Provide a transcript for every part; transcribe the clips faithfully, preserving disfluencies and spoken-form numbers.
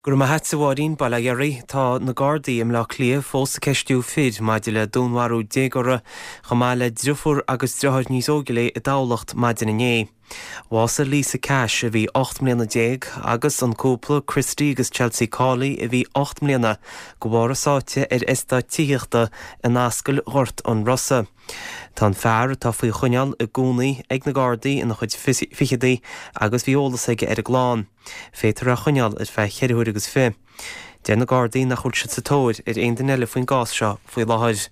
Go raibh maith agat, a Mháirín. Bail ó Dhia oraibh. Tá na Gardaí i mBleá Cliath fós ag ceistiú fir maidir le dúnmharú déagóra chomh maith le driofúr agus driotháir níos óige léi i dTamhlacht maidin inné. Bhásaigh Lisa Cash a bhí ocht mbliana déag agus an cúpla Christy agus Chelsea Cawley a bhí ocht mbliana de bharr a sáite ar eastát tithíochta in Ascaill Ghort an Rosa. Tá an fear atá faoi choinneáil i gcónaí ag na Gardaí ina chuid ficheadaí agus bhí eolas aige ar an gclann. Féadfar é a choinneáil ar feadh cheithre huaire agus fiche. Deir na Gardaí nach bhfuil siad sa tóir ar aon duine eile faoin gcás seo faoi láthair.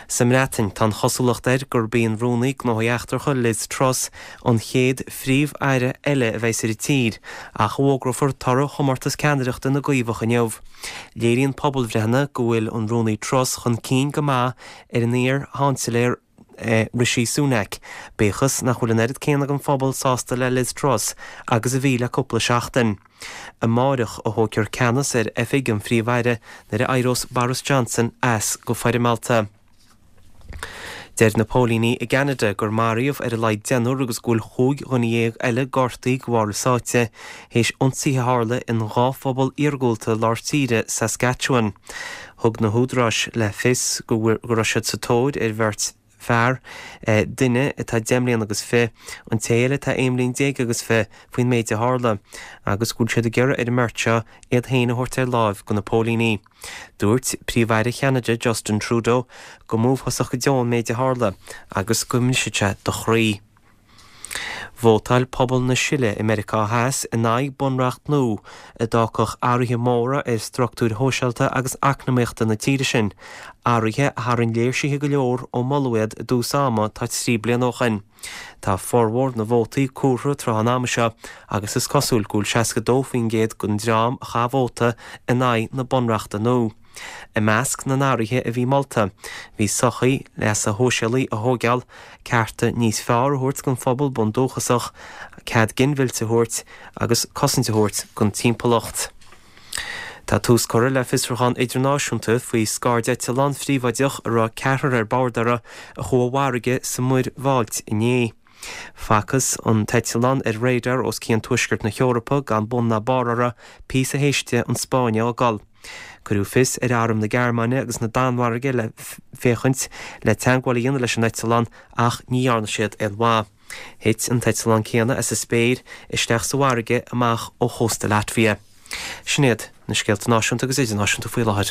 Sa mBreatain, tá an chosúlacht air gurb í an Rúnaí Gnóthaí Eachtracha Liz Truss an chéad phríomh-aire eile a bheas ar an tír, ach a bhfógrófar toradh chomórtas ceannaireachta na gCaomhach inniu. Léiríonn pobalbhreitheanna go bhfuil an Rúnaí Truss chun cinn go maith ar an iar-Sheansailéir Rishi Sunak, bíodh is nach bhfuil an oiread céanna den phobal sásta le Liz Truss agus a bhí le cúpla seachtain. Amárach a thógfar ceannas ar oifig an Phríomh-Aire nuair a éireos Boris Johnson as go foirmeálta. Deir na póilíní i gCeanada gur maraíodh ar a laghad deichniúr agus go bhfuil chúig dhuine dhéag eile gortaithe de bharr a sáite théis ionsaithe a tharla in dhá phobal iargúlta lár tíre Saskatchewan. Thug na húdaráis le fios go raibh siad sa tóir ar bheirt fear, duine atá deich mbliana agus fiche, an té eile atá aon bhliain déag agus fiche, faoin méid a tharla, agus go bhfuil siad ag iarraidh ar an mbeirt seo iad féin a thabhairt ar láimh do na póilíní. Dúirt Príomh-Aire Cheanada Justin Trudeau go mb'uafásach go deo an méid a tharla agus go mbrisfeadh sé do chroí. Vótáil pobal na Sile i Meiriceá Theas in aghaidh bunreacht nua a d'fhágfadh athruithe móra ar struchtúir shóisialta agus eacnamaíochta na tíre sin, athruithe a tharraing léirsithe go leor ó moladh iad i dtús ama tá trí bliana ó shin. Tá formhór na vótaí comhairthe tráth an ama seo agus is cosúil go bhfuil seasca dó faoin gcéad den dream a chaith vóta in aghaidh na bunreachta nua. I measc na n-athruithe a bhí molta, bhí sochaí leasa shóisialaigh a thógáil, cearta níos fearr a thabhairt don phobal bundúchasach, cead ginmhillte a thabhairt agus cosaint a thabhairt don timpeallacht. Tá tús curtha le fiosrúchán idirnáisiúnta faoi scairdeitleán phríobháideach a raibh ceathrar ar bord air a chuaigh i bhfarraige sa Mhuir Bhailt inné. Facthas an t-eitleán ar radar os cionn tuaisceart na hEorpa gan bun ná barr air, píosa théis di an Spáinn a fhágáil. Cuireadh fios ar arm na Gearmáine agus na Danmhairge le féachaint le teagmháil a dhéanamh leis an eitleán ach ní dhearna siad aon mhaith. Thit an t-eitleán céanna as an spéir isteach sa bhfarraige amach ó chósta Latvia. Sin iad na scéalta náisiúnta agus idirnáisiúnta faoi láthair.